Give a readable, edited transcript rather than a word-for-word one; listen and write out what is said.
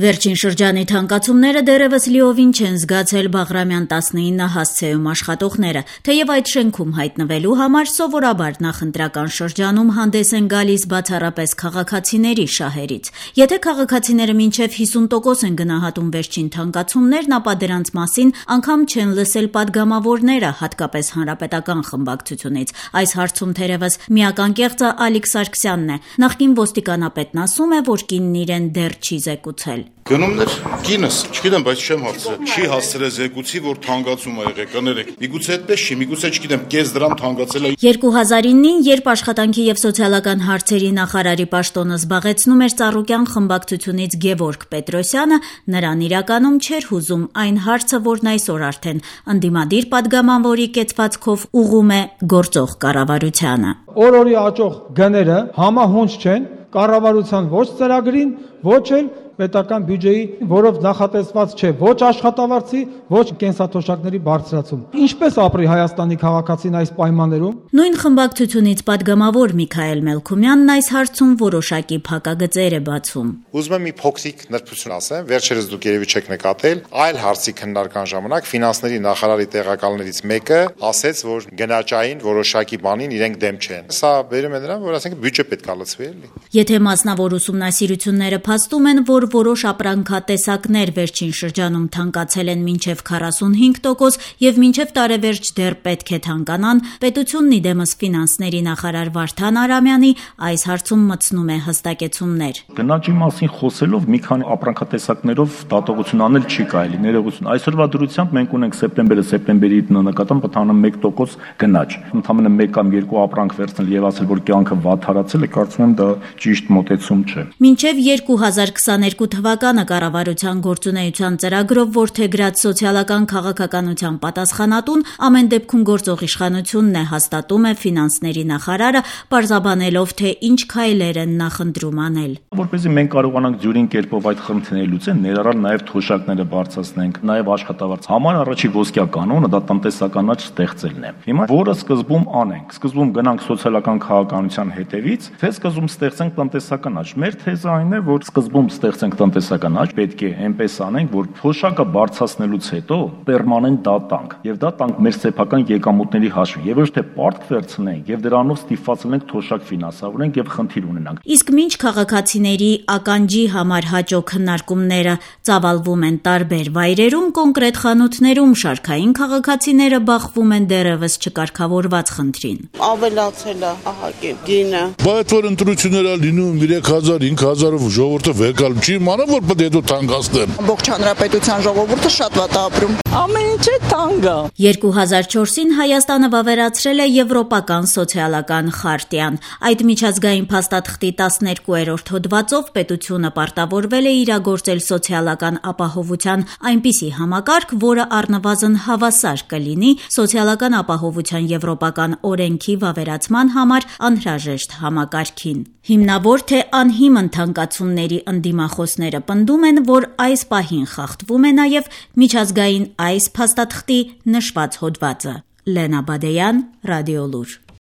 Վերջին շրջանի թանկացումները դեռևս լիովին չեն զգացել Բաղրամյան 19 հասցեում աշխատողները, թեև այդ շենքում հայտնվելու համար սովորաբար նախընտրական շրջանում հանդես են գալիս բացառապես քաղաքացիների շահերից։ Եթե քաղաքացիները մինչև 50% են գնահատում վերջին թանկացումներն, ապա դրանց մասին անգամ չեն լսել падգամավորները, հատկապես հանրապետական խմբակցությունից։ Այս հարցում թերևս միական կեղծը Ալիկ Սարգսյանն է։ Նախկին ոստիկանապետն ասում է, որ կինն իրեն դեռ չի զեկուցել։ Գնումներ կինս, չգիտեմ, բայց չեմ հարցրել։ Չի հասցրել զեկուցի, որ թանկացում ա եղել, կներեք։ Միգուցե այդպես չի, միգուցե չգիտեմ, կես դրամ թանկացել է։ 2009-ին, երբ աշխատանքի եւ սոցիալական հարցերի նախարարի պաշտոնը զբաղեցնում էր Ծառուկյան խմբակցությունից Գևորգ Պետրոսյանը, նրան իրականում չէր հուզում այն հարցը, որն այսօր արդեն ընդդիմադիր падգամավորի կեցվածքով ուղում է գործող կառավարությանը։ Օր-օրի աճող գները համահունչ չեն կառավարության ոչ ծրագրին, ոչ էլ պետական բյուջեի, որով նախատեսված չէ ոչ աշխատավարձի, ոչ կենսաթոշակների բարձրացում։ Ինչպես ապրի Հայաստանի քաղաքացին այս պայմաններում։ Նույն խմբակցությունից падգամավոր Միքայել Մելքումյանն այս հարցում որոշակի փակագծեր է բացում։ Ուզում եմ մի փոքրիկ նրբություն ասեմ, վերջերս դուք երևի չեք նկատել, այլ հարցի քննարկման ժամանակ ֆինանսների նախարարի տեղակալներից մեկը ասեց, որ գնաճային որոշակի բանին իրենք դեմ չեն։ Սա բերում է նրան, որ ասենք բյուջե պետք է լցվի, էլի։ Եթե մասնավոր ուսումնասիրությունները փաստում են, որ որոշ ապրանքատեսակներ վերջին շրջանում թանկացել են մինչև 45% եւ մինչև տարեվերջ դեռ պետք է թանկանան, պետությունն իդեմս ֆինանսների նախարար Վարդան Արամյանի այս հարցում մտցնում է հստակեցումներ։ Գնաճի մասին խոսելով մի քանի ապրանքատեսակներով դատողություն անել չի կարելի, ներողություն։ Այսօրվա դրությամբ մենք ունենք սեպտեմբերի նկատմամբ ընդհանրապես 1% գնաճ։ Ընդհանրապես 1 կամ 2 ապրանք վերցնել եւ ասել, որ կյանքը վատթարացել է, կարծում եմ դա ճիշտ մոտեցում չէ։ Մինչև 2022 թվականը կառավարության գործունեության ծրագրով որդեգրած սոցիալական քաղաքականության պատասխանատուն ամեն դեպքում գործող իշխանությունն է, հաստատում է ֆինանսների նախարարը, պարզաբանելով, թե ինչ քայլեր են նախընտրում անել։ Որպեսզի մենք կարողանանք դյուրին կերպով այդ խնդիրները լուծել, ներառալ նաև թոշակները բարձրացնենք, նաև աշխատավարձ։ Համար առաջի ոսկյա կանոնը դա տնտեսական աճ ստեղծելն է։ Հիմա որը սկզբում անենք, սկզբում գնանք սոցիալական քաղաքականության հետևից, թե սկզբում ստեղծենք տնտեսական աճ։ Մեր թեզը այն է, որ սկզբում ստեղծենք տնտեսական աճ, պետք է այնպես անենք, որ թոշակը բարձրացնելուց հետո պերմանենտ դա տանք, եւ դա տանք մեր սեփական եկամուտների հաշվին, եւ ոչ թե պարտք վերցնենք եւ դրանով ստիպվածենք թոշակ ֆինանսավորենք եւ խնդիր ունենանք։ Իսկ մինչ քաղաքացիների ականջի համար հաջող քննարկումները ծավալվում են տարբեր վայրերում, կոնկրետ խանութներում շարքային քաղաքացիները բախվում են դեռևս չկարգավորված խնդրին։ Ավելացել է ահագին գինը։ Բայց որ ընտրությունները լինում 3000, 5000-ով ժողովուրդը վեկալ չի իմանա, որ պետք է թանկացնեն։ Ամբողջ հանրապետության ժողովուրդը շատ վատ է ապրում։ Ամեն ինչը թանկ է։ 2004-ին Հայաստանը վավերացրել է Եվրոպական սոցիալական խարտիան։ Այդ միջազգային փաստաթղթի 12-րդ հոդվածով պետությունը պարտավորվել է իրագործել սոցիալական ապահովության այնպիսի համակարգ, որը առնվազն հավասար կլինի սոցիալական ապահովության եվրոպական օրենքի վավերացման համար անհրաժեշտ համակարգին։ Հիմնավոր թե անհիմն թանկացումների ընդդիմախոսները պնդում են, որ այս պահին խախտվում է նաև միջազգային այս փաստաթղթի նշված հոդվածը։ Լենա Բադեյան, Ռադիոլուր։